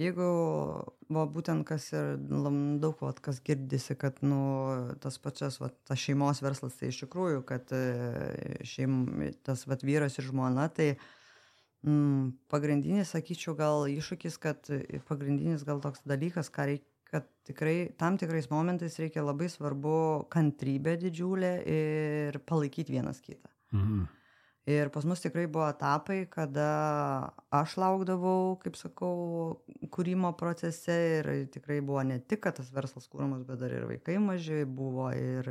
Jeigu būtent kas ir daug kas girdisi, kad tas pačias tas šeimos verslas, tai iš tikrųjų, kad tas vyras ir žmona, tai pagrindinis, sakyčiau, gal iššūkis, kad pagrindinis gal toks dalykas, kad tikrai tam tikrais momentais reikia labai svarbu kantrybė didžiulė ir palaikyti vienas kitą. Ir pas mus tikrai buvo etapai, kada aš laukdavau, kaip sakau, kūrimo procese ir tikrai buvo ne tik, kad tas verslas kūrimas, bet dar ir vaikai maži buvo ir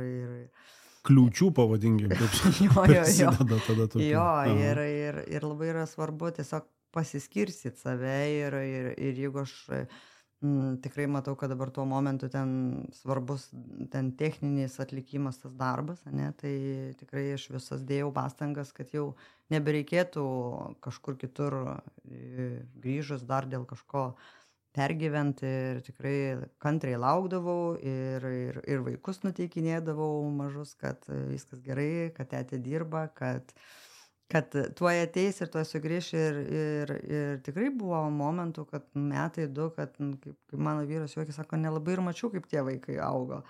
kliūčių pavadinkim, kaip prasideda tada tokia. Jo, ir labai yra svarbu tiesiog pasiskirstyt save ir jeigu aš tikrai matau, kad dabar tuo momentu ten svarbus ten techninis atlikimas tas darbas, ne, tai tikrai aš visas dėjau pastangas, kad jau nebereikėtų kažkur kitur grįžus dar dėl kažko pergyventi ir tikrai kantriai laukdavau ir vaikus nuteikinėdavau mažus, kad viskas gerai, kad tėtė dirba, kad tuoj ateis ir tuoj sugrįš ir tikrai buvo momentų, kad metai du, kad kaip mano vyras juokis sako, nelabai ir mačiau, kaip tie vaikai augo,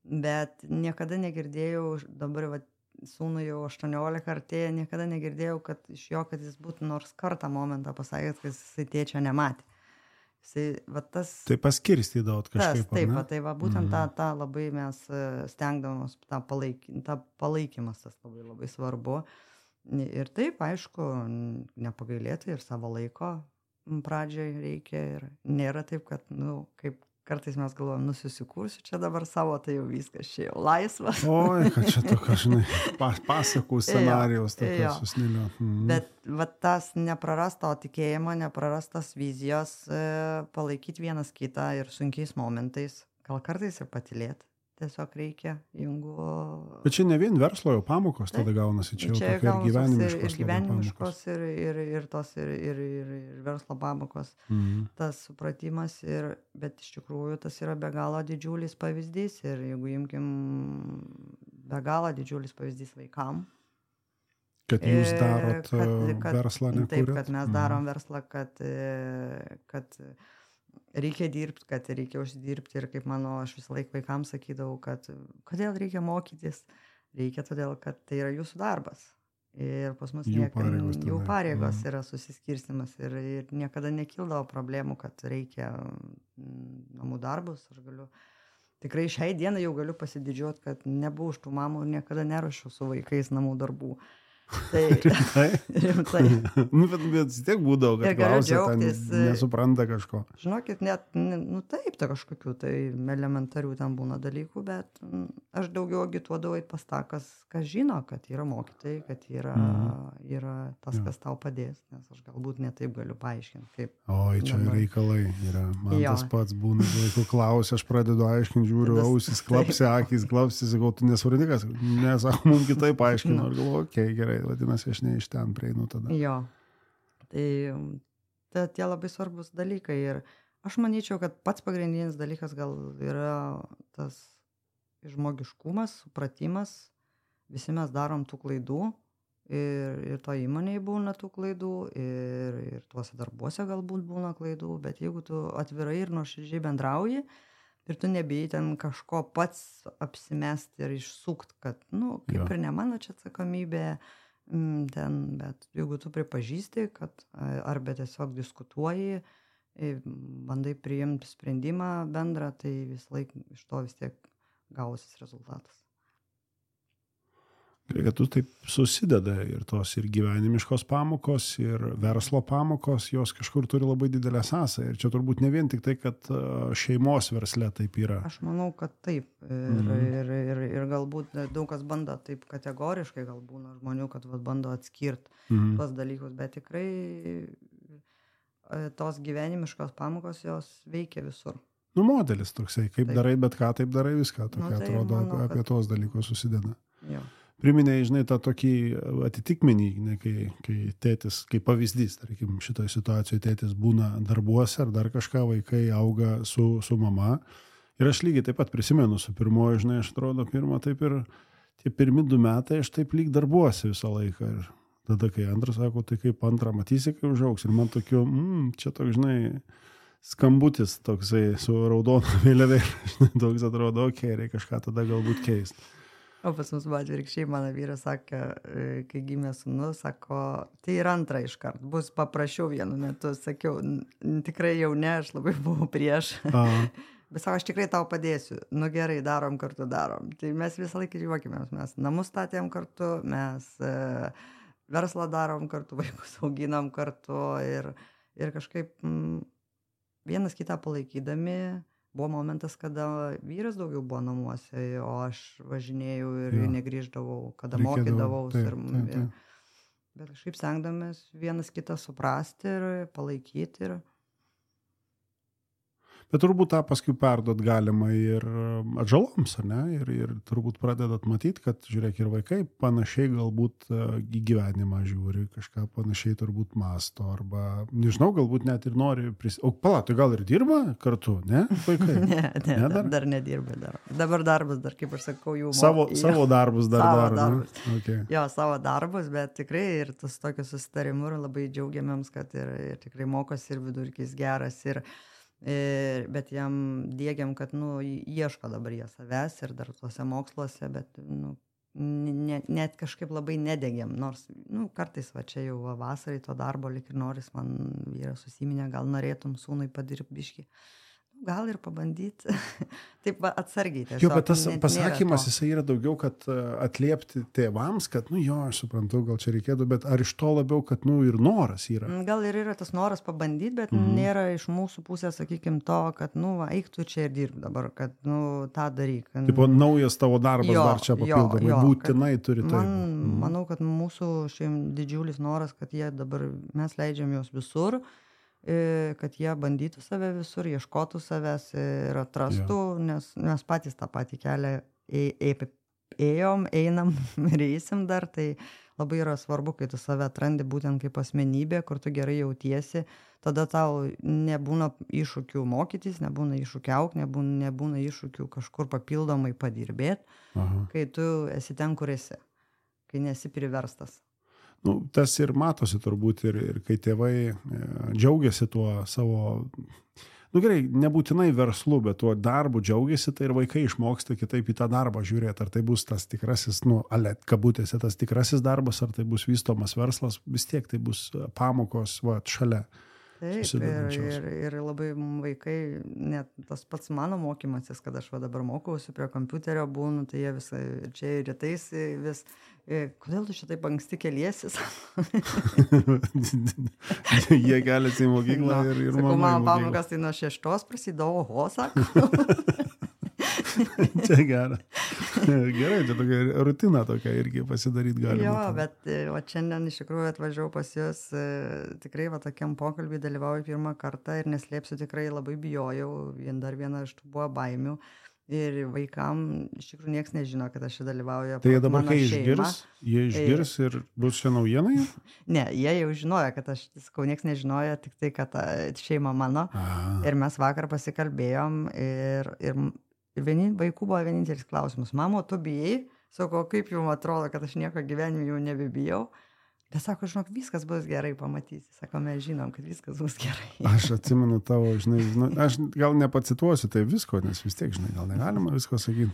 bet niekada negirdėjau, dabar sūnui jau 18 artėja, niekada negirdėjau, kad iš jo, kad jis būtų nors kartą momentą pasakęs, kad jisai tėčio nematė. Jisai, tai paskirstydavot kažkaip. Tai būtent tą labai mes stengdavomos, tą palaikymas tas labai svarbu. Ir taip, aišku, nepagailėti ir savo laiko pradžiai reikia ir nėra taip, kad, kaip kartais mes galvojam, susikursiu čia dabar savo, tai jau viskas, čia jau laisvas. Oi, kad čia tokia, žinai, pasakų scenarijos tokia susnilio. Bet tas neprarasto tikėjimo, neprarastas vizijos, palaikyti vienas kitą ir sunkiais momentais, gal kartais ir patylėti. Tiesiog reikia, jeigu... Bet čia ne vien verslo jau pamokos tada gaunasi, čia jau tokia ir gyvenimiškos. Ir gyvenimiškos, ir tos, ir verslo pamokos. Tas supratimas, bet iš tikrųjų tas yra be galo didžiulis pavyzdys. Ir jeigu imkim be galo didžiulis pavyzdys vaikam. Kad jūs darot verslą, nekūrėt? Taip, kad mes darom verslą, kad reikia dirbti, kad reikia uždirbti ir kaip aš visą laiką vaikams sakydavau, kad kodėl reikia mokytis, reikia todėl, kad tai yra jūsų darbas. Ir pas mus jų pareigos yra susiskirstimas ir niekada nekildavo problemų, kad reikia namų darbus. Aš galiu, tikrai šiai dienai jau galiu pasididžiuoti, kad nebuvau už tų mamų ir niekada neruošiau su vaikais namų darbų. Rimtai. Bet vis tiek būdavo, kad klausia, nesupranta kažko. Žinokit, net, taip, tai kažkokių tai elementarių ten būna dalykų, bet aš daugiau agituodavau pas tą, kas žino, kad yra mokytojai, kad yra tas, kas tau padės, nes aš galbūt netaip galiu paaiškinti. Oi, čia reikalai yra. Man tas pats būna, vaikų klausia, aš pradedu aiškinti, žiūriu, ausis, klapsi, akys, klapsi, sakau, tu nesvardikas, nesako, mums kitaip paaiškinu, ir galvoju, okei, gerai. Vadinasi, aš ne iš ten prieinu tada. Jo. Tai tie labai svarbus dalykai. Ir aš manyčiau, kad pats pagrindinis dalykas gal yra tas žmogiškumas, supratimas. Visi mes darom tų klaidų ir to įmonėje būna tų klaidų ir tuose darbuose galbūt būna klaidų, bet jeigu tu atvirai ir nuoširdžiai bendrauji ir tu nebijai ten kažko pats apsimesti ir išsukt, kad, kaip ir ne mano čia atsakomybė, bet jeigu tu pripažįsti, kad arba tiesiog diskutuoji, bandai priimti sprendimą bendrą, tai visą laiką iš to vis tiek gausis rezultatas. Kad tu taip susideda ir tos ir gyvenimiškos pamokos, ir verslo pamokos, jos kažkur turi labai didelę sąsają. Ir čia turbūt ne vien tik tai, kad šeimos versle taip yra. Aš manau, kad taip. Ir galbūt daug kas bando taip kategoriškai, gal būna žmonių, kad bando atskirti tuos dalykus, bet tikrai tos gyvenimiškos pamokos jos veikia visur. Modelis toksai, kaip darai, bet ką taip darai viską. Tokia atrodo, apie tos dalykus susideda. Jo. Priminėjai, žinai, tą tokį atitikmenį, kai tėtis, kaip pavyzdys, tarkim, šitoje situacijoje tėtis būna darbuose ar dar kažką, vaikai auga su mama. Ir aš lygiai taip pat prisimenu su pirmoju, žinai, aš atrodo, taip ir tie pirmi 2 metai, aš taip lyg darbuose visą laiką. Ir tada, kai antras sako, tai kaip antrą matysi, kai užaugs. Ir man tokiu, čia toks, žinai, skambutis toksai su raudona vėliavėlė. Toks atrodo, reikia kažką tada galbūt keisti. O pas mus buvo atvirkščiai, mano vyras sakė, kai gimė sūnus, sako, tai ir antrą iškart, bus paprašiau vienu metu, sakiau, tikrai jau ne, aš labai buvau prieš, bet sako, aš tikrai tau padėsiu, gerai, darom kartu, darom. Tai mes visą laiką juokimės, mes namus statėm kartu, mes verslą darom kartu, vaikus auginam kartu ir kažkaip vienas kitą palaikydami. Buvo momentas, kada vyras daugiau buvo namuose, o aš važinėjau ir negrįždavau, kada mokydavaus. Bet kažkaip stengdamės vienas kitą suprasti ir palaikyti. Bet turbūt tą paskui perduot galima ir atžaloms, ar ne? Ir turbūt pradedat matyti, kad, žiūrėk, ir vaikai panašiai galbūt į gyvenimą žiūri, kažką panašiai turbūt masto, arba, nežinau, galbūt net ir nori O tai gal ir dirba kartu, ne? Vaikai? Ne, dar nedirba. Dabar darbas, dar kaip aš sakau, jų Savo darbus dar daro. Okay. Jo, savo darbus, bet tikrai ir tas tokius susitarimų ir labai džiaugiamėms, kad ir tikrai mokosi ir vidurkis geras bet jam diegiam, kad, ieško dabar jie savęs ir dar tuose moksluose, bet, net kažkaip labai nedegiam, nors, kartais čia jau vasarai to darbo lik ir noris, man vyras susiminė, gal norėtum sūnui padirbti biškį. Gal ir pabandyti. Taip atsargiai tiesiog. Jo, bet tas pasakymas, jisai yra daugiau, kad atliepti tėvams, kad, aš suprantu, gal čia reikėtų, bet ar iš to labiau, kad, ir noras yra? Gal ir yra tas noras pabandyti, bet nėra iš mūsų pusės, sakykim, to, kad, eik tu čia ir dirb dabar, kad, tą daryk. Tipo, naujas tavo darbas dar čia papildomai, būtinai turi tai. Manau, kad mūsų didžiulis noras, kad jie dabar, mes leidžiam juos visur, kad jie bandytų save visur, ieškotų savęs ir atrastų, nes mes patys tą patį kelią einam ir eisim dar, tai labai yra svarbu, kai tu save atrandi būtent kaip asmenybė, kur tu gerai jautiesi, tada tau nebūna iššūkių mokytis, nebūna iššūkių augti, nebūna iššūkių kažkur papildomai padirbėti, kai tu esi ten, kur esi, kai nesi priverstas. Tas ir matosi turbūt ir kai tėvai džiaugiasi tuo savo, gerai, nebūtinai verslu, bet tuo darbu džiaugiasi, tai ir vaikai išmoksta kitaip į tą darbą žiūrėti, ar tai bus tas tikrasis, kabutėse tas tikrasis darbas, ar tai bus vystomas verslas, vis tiek tai bus pamokos šalia. Taip, ir labai vaikai, net tas pats mano mokymasis, kad aš dabar mokausi prie kompiuterio būnu, tai jie visai čia ir rytais vis, kodėl tu šitaip anksti keliesi? Jie keliasi į mokyklą ir mama. Sakau, mano pamokas tai nuo 6 prasidėjo, oho, sako. Čia gera. Gerai, čia tokia rutina tokia irgi pasidaryti galima. Jo, bet šiandien iš tikrųjų atvažiavau pas jūs, tikrai tokiam pokalbį dalyvauju pirmą kartą ir neslėpsiu, tikrai labai bijojau, dar viena iš tų buvo baimių ir vaikam iš tikrųjų niekas nežino, kad aš čia dalyvauju. Tai jie dabar, kai išgirs ir bus čia naujienai? Ne, jie jau žinojo, kad aš, sakau, niekas nežinojo, tik tai, kad šeima mano. Ir mes vakar pasikalbėjom ir vaikų buvo vienintelis klausimas. Mamo, tu bijai? Sako, kaip jums atrodo, kad aš nieko gyvenime jau nebebijau? Bet sako, žinok, viskas bus gerai, pamatysi. Sako, mes žinom, kad viskas bus gerai. Aš atsimenu tavo, aš gal nepacituosiu tai visko, nes vis tiek, gal negalima visko sakyti.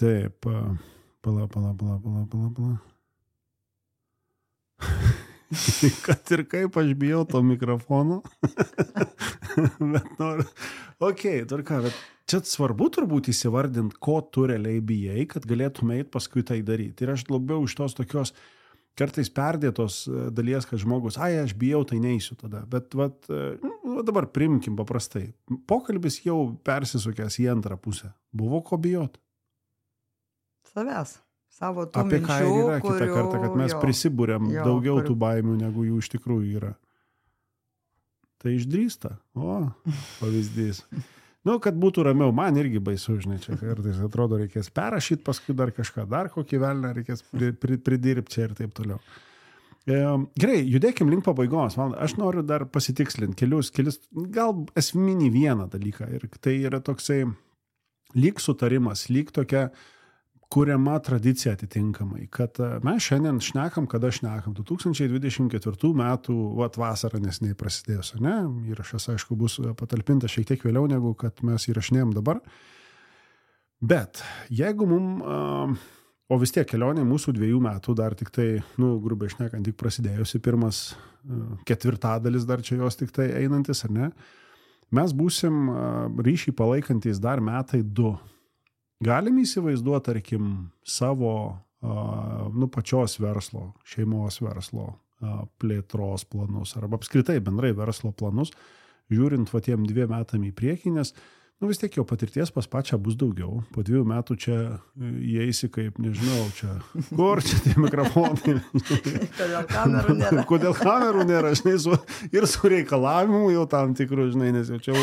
Taip, pala. Kad ir kaip aš bijau to mikrofono. Bet noriu. Tvarka, bet čia svarbu turbūt įsivardinti, ko tu realiai bijai, kad galėtume eiti paskui tai daryti. Ir aš labiau iš tos tokios kartais perdėtos dalies, kad žmogus, aš bijau, tai neisiu tada. Bet dabar primkim paprastai. Pokalbis jau persisukęs į antrą pusę. Buvo ko bijot? Savęs. Savo tų apie minčių, ką yra kitą kartą, kad mes prisibūrėm daugiau tų baimių, negu jų iš tikrųjų yra. Tai išdrįsta. Pavyzdys. Kad būtų ramiau, man irgi baisu, čia kartais atrodo reikės perrašyti, paskui dar kažką, dar kokį velnę reikės pridirbti čia ir taip toliau. Gerai, judėkim link pabaigos. Aš noriu dar pasitikslinti kelis, gal esminį vieną dalyką. Ir tai yra toksai lyg sutarimas, lyg tokia kuriama tradicija atitinkamai, kad mes šiandien šnekam, kada šnekam. 2024 metų vasarą neseniai prasidėjus, ne? Įrašas, aišku, bus patalpintas šiek tiek vėliau, negu kad mes įrašinėjom dabar. Bet jeigu o vis tiek kelionė mūsų 2 metų dar tik tai, grubiai šnekant, tik prasidėjusi, pirmas ketvirtadalis dar čia jos tik tai einantis, ar ne? Mes būsim ryšį palaikantis dar metai 2. Galim įsivaizduoti, tarkim, savo pačios verslo, šeimos verslo plėtros planus arba apskritai bendrai verslo planus, žiūrint tiem 2 metam į priekį, nes vis tiek jau patirties pas pačią bus daugiau. Po 2 metų čia įeisi kaip, nežinau, čia, kur čia tie mikrofonai. Kodėl kamerų nėra? Kodėl kamerų nėra, žinai, ir su reikalavimu jau tam tikrų, žinai, nes jau čia,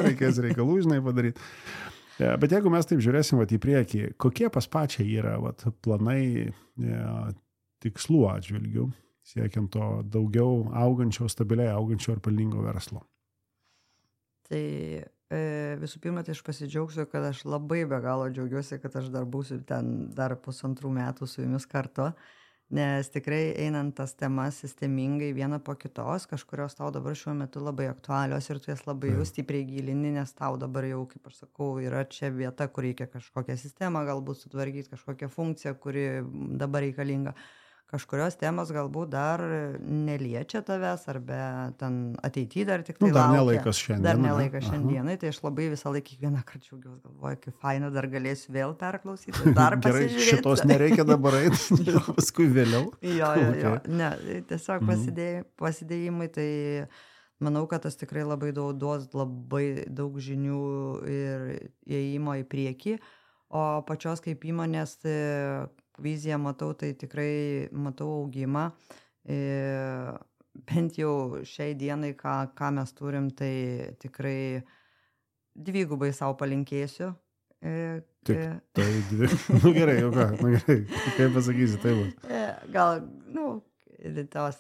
reikės reikalų, žinai, padaryti. Bet jeigu mes taip žiūrėsim į priekį, kokie pas pačią yra planai tikslų atžvilgių, siekiant to daugiau augančio, stabiliai augančio ir pelningo verslo? Tai visų pirma, tai aš pasidžiaugsiu, kad aš labai be galo džiaugiuosi, kad aš dar būsiu ten dar 1,5 metų su jumis kartu, nes tikrai einant tas temas sistemingai vieną po kitos, kažkurios tau dabar šiuo metu labai aktualios ir tu jas labai jau stipriai gilini, nes tau dabar jau, kaip aš sakau, yra čia vieta, kur reikia kažkokią sistemą galbūt sutvarkyti, kažkokią funkciją, kuri dabar reikalinga. Kažkurios temos galbūt dar neliečia tavęs, arba ten ateityje dar tik tai laukia. Dar nelaikas šiandien. Dar nelaikas šiandienai, tai aš labai visą laiką kiekvieną kartą džiaugiuosi, galvoju, kaip faina, dar galėsiu vėl perklausyti, dar pasižiūrėti. Gerai, šitos nereikia dabar eiti, paskui vėliau. Jo. Ne, tiesiog pasidėjimai, tai manau, kad tas tikrai labai duos labai daug žinių ir įėjimo į priekį, o pačios kaip įmonės viziją matau, tai tikrai matau augimą. Bent jau šiai dienai, ką mes turim, tai tikrai 2 savo palinkėsiu. Tai 2. Gerai, jau ką, gerai, kaip pasakysi, tai bus. Gal, tos,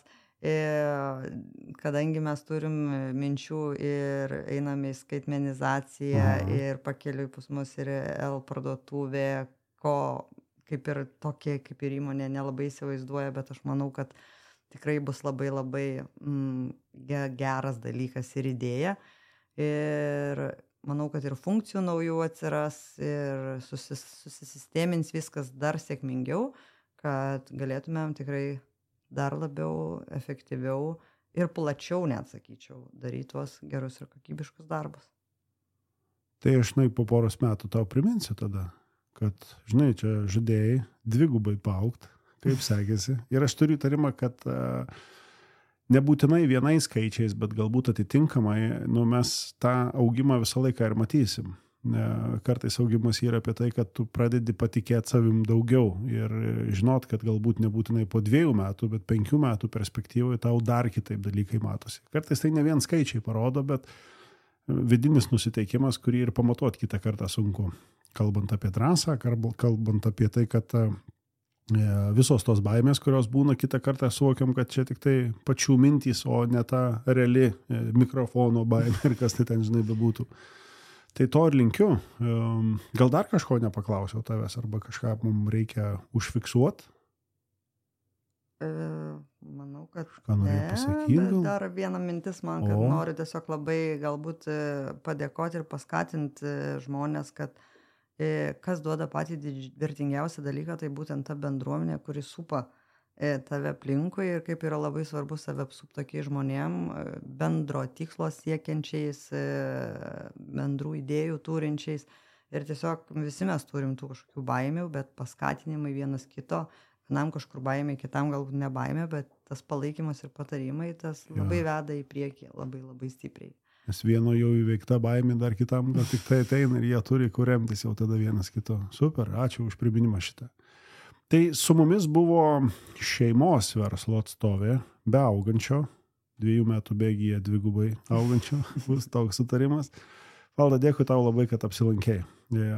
kadangi mes turim minčių ir einame į skaitmenizaciją ir pakeliui pas mus ir parduotuvė, ko kaip ir tokie, kaip ir įmonė nelabai įsivaizduoja, bet aš manau, kad tikrai bus labai labai geras dalykas ir idėja. Ir manau, kad ir funkcijų naujų atsiras ir susistemins viskas dar sėkmingiau, kad galėtumėm tikrai dar labiau, efektyviau ir plačiau, net sakyčiau, daryti tuos gerus ir kokybiškus darbus. Tai aš po 1 metų tau priminsiu tada, kad, žinai, čia žadėjai 2 paaugt, kaip sekėsi. Ir aš turiu įtarimą, kad nebūtinai vienais skaičiais, bet galbūt atitinkamai, mes tą augimą visą laiką ir matysim. Kartais augimas yra apie tai, kad tu pradedi patikėti savim daugiau ir žinot, kad galbūt nebūtinai po 2 metų, bet 5 metų perspektyvoje tau dar kitaip dalykai matosi. Kartais tai ne vien skaičiai parodo, bet vidinis nusiteikimas, kurį ir pamatuoti kitą kartą sunku. Kalbant apie drąsą, kalbant apie tai, kad visos tos baimės, kurios būna, kitą kartą suvokiam, kad čia tik tai pačių mintys, o ne ta reali mikrofono baimė ir kas tai ten, žinai, bebūtų. Tai to ir linkiu. Gal dar kažko nepaklausiau tavęs, arba kažką mums reikia užfiksuoti? Manau, kad bet dar viena mintis man, kad noriu tiesiog labai galbūt padėkoti ir paskatinti žmonės, kad kas duoda patį vertingiausią dalyką, tai būtent ta bendruomenė, kuri supa tave aplinkui ir kaip yra labai svarbu save apsupti tokiais žmonėm, bendro tikslo siekiančiais, bendrų idėjų turinčiais. Ir tiesiog visi mes turim tų kažkokių baimių, bet paskatinimai vienas kito, vienam kažkur baimė, kitam galbūt ne baimė, bet tas palaikymas ir patarimai, tas labai veda į priekį, labai labai stipriai. Nes vieno jau įveikta baimė, dar kitam gal tik tai ateina ir jie turi kur remtis jau tada vienas kito. Super, ačiū už priminimą šitą. Tai su mumis buvo šeimos verslo atstovė, be augančio, 2 metų bėgyje 2 augančio, bus toks sutarimas. Valda, dėkui tau labai, kad apsilankėjai.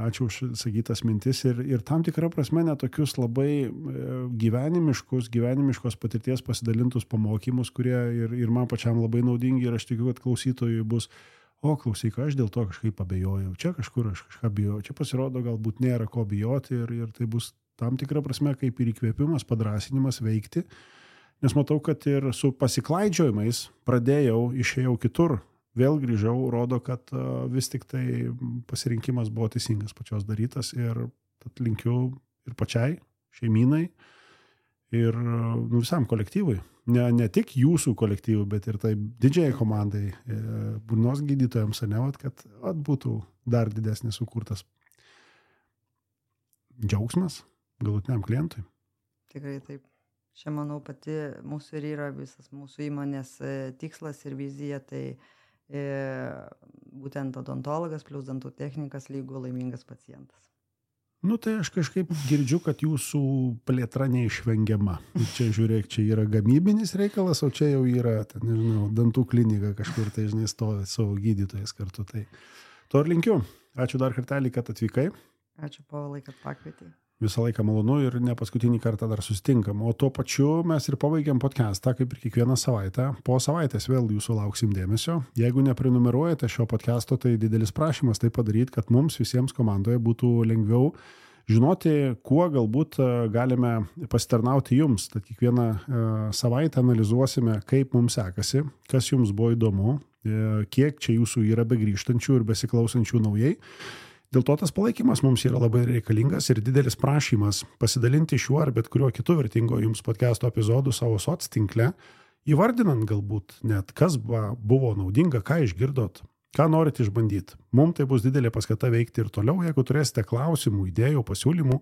Ačiū už sakytas mintis ir tam tikrą prasme netokius labai gyvenimiškos patirties pasidalintus pamokymus, kurie ir man pačiam labai naudingi ir aš tikiu, kad klausytojui bus, klausyk, aš dėl to kažkaip abejojau, čia kažkur aš kažką bijojau, čia pasirodo galbūt nėra ko bijoti ir tai bus tam tikrą prasme kaip ir įkvėpimas, padrąsinimas veikti, nes matau, kad ir su pasiklaidžiojimais išėjau kitur. Vėl grįžau, rodo, kad vis tik tai pasirinkimas buvo teisingas pačios darytas ir linkiu ir pačiai, šeimynai ir visam kolektyvui. Ne tik jūsų kolektyvui, bet ir tai didžiai komandai, burnos gydytojams, kad būtų dar didesnis sukurtas džiaugsmas galutiniam klientui. Tikrai taip. Čia, manau, pati mūsų ir yra visas mūsų įmonės tikslas ir vizija, tai būtent odontologas plus dantų technikas lygų laimingas pacientas. Nu, tai aš kažkaip girdžiu, kad jūsų plėtra neišvengiama. Čia, žiūrėk, čia yra gamybinis reikalas, o čia jau yra, nežinau, dantų klinika kažkur, tai, žinai, stovi savo gydytojas kartu. Tai to ir linkiu. Ačiū dar kartelį, kad atvykai. Ačiū, Povilai, kad pakvietei. Visą laiką malonu ir ne paskutinį kartą dar susitinkam. O tuo pačiu mes ir pabaigiam podcastą, kaip ir kiekvieną savaitę. Po savaitės vėl jūsų lauksim dėmesio. Jeigu neprenumeruojate šio podcasto, tai didelis prašymas tai padaryti, kad mums visiems komandoje būtų lengviau žinoti, kuo galbūt galime pasitarnauti jums. Tad kiekvieną savaitę analizuosime, kaip mums sekasi, kas jums buvo įdomu, kiek čia jūsų yra begrįžtančių ir besiklausančių naujai. Dėl to tas palaikymas mums yra labai reikalingas ir didelis prašymas pasidalinti šiuo ar bet kuriuo kitu vertingo jums podcast'o epizodu savo soc tinkle, įvardinant galbūt net, kas buvo naudinga, ką išgirdot, ką norit išbandyti. Mums tai bus didelė paskata veikti ir toliau. Jeigu turėsite klausimų, idėjų, pasiūlymų,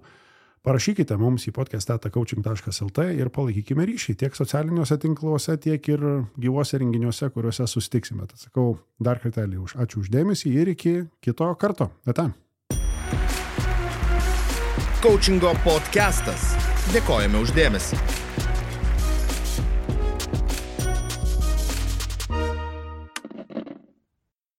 parašykite mums į podcast@coaching.lt ir palaikykime ryšį tiek socialiniuose tinkluose, tiek ir gyvuose renginiuose, kuriuose susitiksime. Tad sakau dar kartelį ačiū už dėmesį ir iki kito karto. Ate. Coachingo podcastas. Dėkojame už dėmesį.